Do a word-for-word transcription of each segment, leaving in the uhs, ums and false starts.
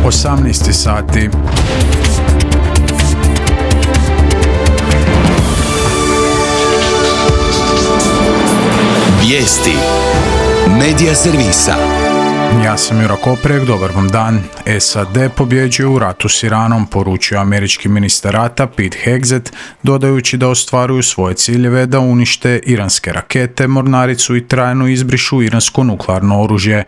osamnaest sati. Vijesti Medija servisa. Ja sam Jura Koprek, dobar vam dan. S A D pobjeđuje u ratu s Iranom, poručio američki ministar rata Pete Hegseth, dodajući da ostvaruju svoje ciljeve da unište iranske rakete, mornaricu i trajno izbrišu iransko nuklearno oružje.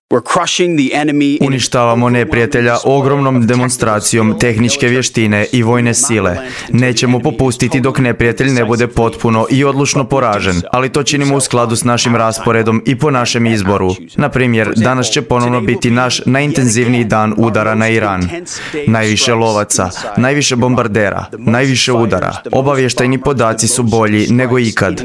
Uništavamo neprijatelja ogromnom demonstracijom tehničke vještine i vojne sile. Nećemo popustiti dok neprijatelj ne bude potpuno i odlučno poražen, ali to činimo u skladu s našim rasporedom i po našem izboru. Na primjer, danas će ponovno biti naš najintenzivniji dan udara na Iran. Najviše lovaca, najviše bombardera, najviše udara. Obavještajni podaci su bolji nego ikad.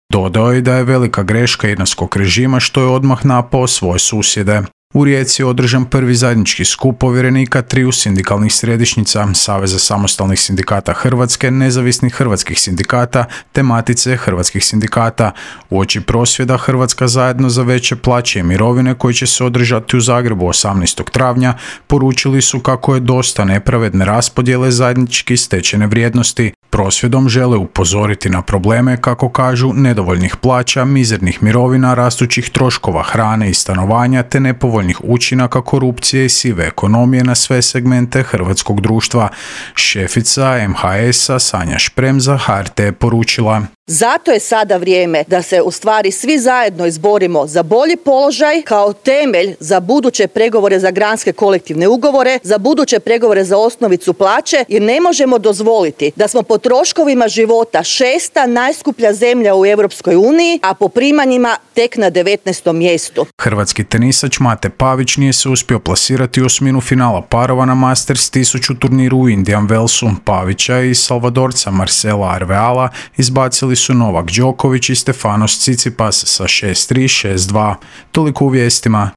Dodao je da je velika greška iranskog režima što je odmah napao svoje susjede. U Rijeci je održan prvi zajednički skup povjerenika triju sindikalnih središnjica, Saveza samostalnih sindikata Hrvatske, Nezavisnih hrvatskih sindikata te Matice hrvatskih sindikata. Uoči prosvjeda Hrvatska zajedno za veće plaće i mirovine koji će se održati u Zagrebu osamnaestog travnja poručili su kako je dosta nepravedne raspodjele zajednički stečene vrijednosti. Prosvjedom žele upozoriti na probleme, kako kažu, nedovoljnih plaća, mizernih mirovina, rastućih troškova hrane i stanovanja te nepovoljnih učinaka korupcije i sive ekonomije na sve segmente hrvatskog društva. Šefica M H S-a Sanja Šprem za H R T je poručila: zato je sada vrijeme da se u stvari svi zajedno izborimo za bolji položaj kao temelj za buduće pregovore za granske kolektivne ugovore, za buduće pregovore za osnovicu plaće, jer ne možemo dozvoliti da smo po troškovima života šesta najskuplja zemlja u Europskoj uniji, a po primanjima tek na devetnaestom mjestu. Hrvatski tenisač Mate Pavić nije se uspio plasirati u osminu finala parova na Masters tisuću turniru u Indian Wellsu. Pavića i Salvadorca Marcela Arveala izbacili su Novak Đoković i Stefanos Tsitsipas sa šest tri šest dva. Toliko u vijestima.